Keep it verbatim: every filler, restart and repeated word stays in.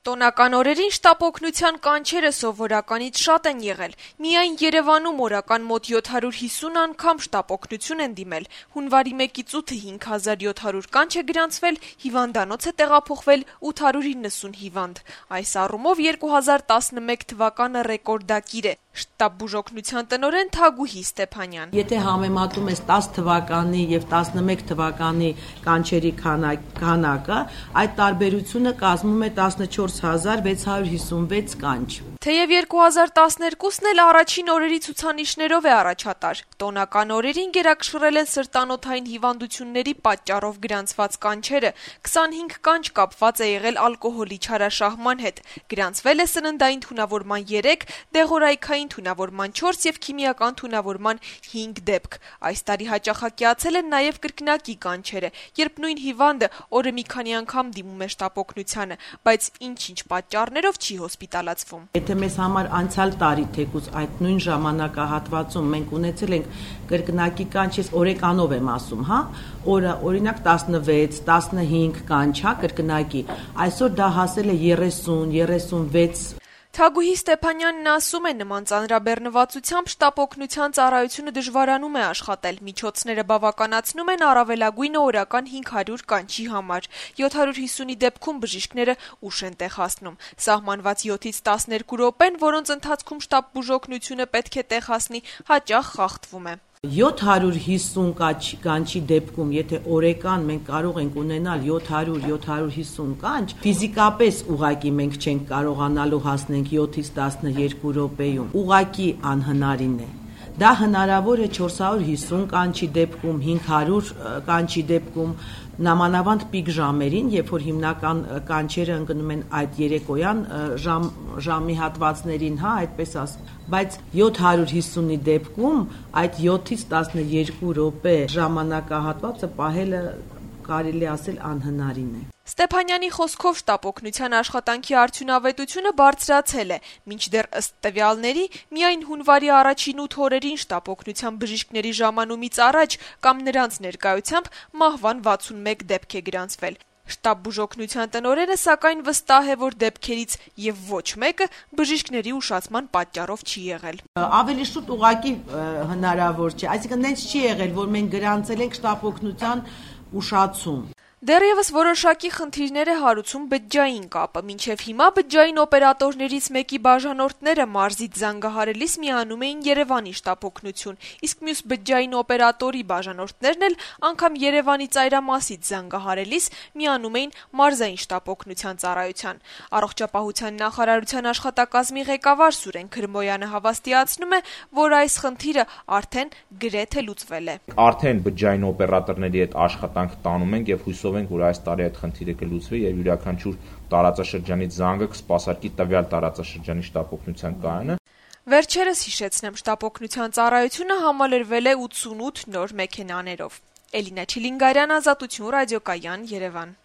Տոնական օրերին շտապ օգնության կանչերը սովորականից շատ են եղել։ Միայն Երևանում օրական մոտ յոթ հարյուր հիսուն անգամ շտապ օգնություն են դիմել։ Հունվարի մեկից ութը հինգ հազար յոթ հարյուր կանչ է գրանցվել, հիվանդանոց է տեղափոխվել ութ հարյուր իննսուն հիվանդ։ Այս առումով երկու հազար տասնմեկ թվականը ռեկորդակիր է։ Շտապ բուժօգնության տնօրեն Թագուհի Ստեփանյան. Եթե համեմատում ես տասը թվականի եւ տասնմեկ թվականի կանչերի քանակը, այդ տարբերությունը կազմում է տասնչորս հազար վեց հարյուր հիսունվեց կանչ։ Թեև երկու հազար տասներկուսն էլ առաջին օրերի ցուցանիշներով է առաջատար։ Տոնական օրերին գերակշռել են սրտանոթային հիվանդությունների պատճառով գրանցված կանչերը։ քսանհինգ կանչ կապված է եղել ալկոհոլի չարաշահման հետ։ Գրանցվել է սննդային թունավորման երեք, դեղորայքային թունավորման չորս եւ քիմիական թունավորման հինգ դեպք։ Այս տարի հաճախակիացել են նաեւ կրկնակի կանչերը, երբ նույն հիվանդը օրը մի քանի անգամ դիմում է շտապ օգնությանը, բայց ինչ-ինչ պատճառներով չի հոսպիտալացվում։ Եթե մեզ համար անցյալ տարի թեկուզ այդ նույն ժամանակահատվածում մենք ունեցել ենք կրկնակի կանչ, ես օրեկանով եմ ասում, հա, օրը օրինակ տասնվեց, տասնհինգ կանչ, հա, կրկնակի, այսօր դա հասել է երեսուն, երեսունվեց։ Թագուհի Ստեփանյանն ասում է, նման ծանրաբեռնվածությամբ շտապ օգնության ծառայությունը դժվարանում է աշխատել, միջոցները բավականացնում են առավելագույնը օրական հինգ հարյուր կանչի համար։ յոթ հարյուր հիսունի դեպքում բժիշկները ուշ են տեղ հասնում։ Սահմանված յոթից տասներկու րոպեն, որոնց ընթացքում շտապ բուժօգնությունը պետք է տեղ հասնի, հաճախ խախտվում է։ յոթ հարյուր հիսուն կանչի դեպքում, եթե օրեկան մենք կարող ենք ունենալ յոթ հարյուր յոթ հարյուր հիսուն կանչ, ֆիզիկապես ուղղակի մենք չենք կարողանալու հասնենք յոթից տասներկու րոպեում, ուղղակի անհնարին է։ Դա հնարավոր է չորս հարյուր հիսուն կանչի դեպքում, հինգ հարյուր կանչի դեպքում, նամանավանդ պիկ ժամերին, երբ որ հիմնական կանչերը ընկնում են այդ երեկոյան ժամ, ժամի հատվածներին, հա, այդպես ասեմ, բայց յոթ հարյուր հիսունի դեպքում այդ յոթից տասներկու րոպե ժամանակահատվածը պահելը կարելի ասել անհնարին է։ Ստեփանյանի խոսքով շտապ օգնության աշխատանքի արդյունավետությունը բարձրացել է, մինչդեռ ըստ տվյալների միայն հունվարի առաջին ութ օրերին շտապ օգնության բժիշկների ժամանումից առաջ կամ նրանց ներկայությամբ մահվան վաթսունմեկ դեպք է գրանցվել։ Շտապ բուժօգնության տնօրենը սակայն վստահ է, որ դեպքերից եւ ոչ մեկը բժիշկների ուշացման պատճառով չի եղել։ Ավելի շուտ ուղղակի հնարավոր չէ, այսինքն նենց չի եղել, որ մենք գրանցել ենք շտապ օգնության ուշացում։ Դեռևս որոշակի խնդիրներ է հարուցում բջջային կապը։ Մինչև հիմա բջջային օպերատորներից մեկի բաժանորդները մարզից զանգահարելիս միանում էին Երևանի շտապ օգնություն, իսկ մյուս բջջային օպերատորի բաժանորդներն էլ անգամ Երևանի ծայրամասից զանգահարելիս միանում էին մարզային շտապ օգնության ծառայության։ Առողջապահության նախարարության աշխատակազմի ղեկավար Սուրեն Քրմոյանը հավաստիացնում է, որ այս խնդիրը արդեն գրեթե լուծվել է։ Արդեն բջջային օպերատորների հետ աշխատանք տանում ենք եւ հույսով ենք, որ այս տարի այդ խնդիրը կլուծվի եւ յուրաքանչյուր տարածաշրջանից զանգը կսպասարկի տվյալ տարածաշրջանի շտապ օգնության կայանը։ Վերջերս հիշեցնեմ, շտապ օգնության ծառայությունը համալրվել է ութսունութ նոր մեքենաներով։ Էլինա Չիլինգարյան, Ազատություն ռադիոկայան, Երևան։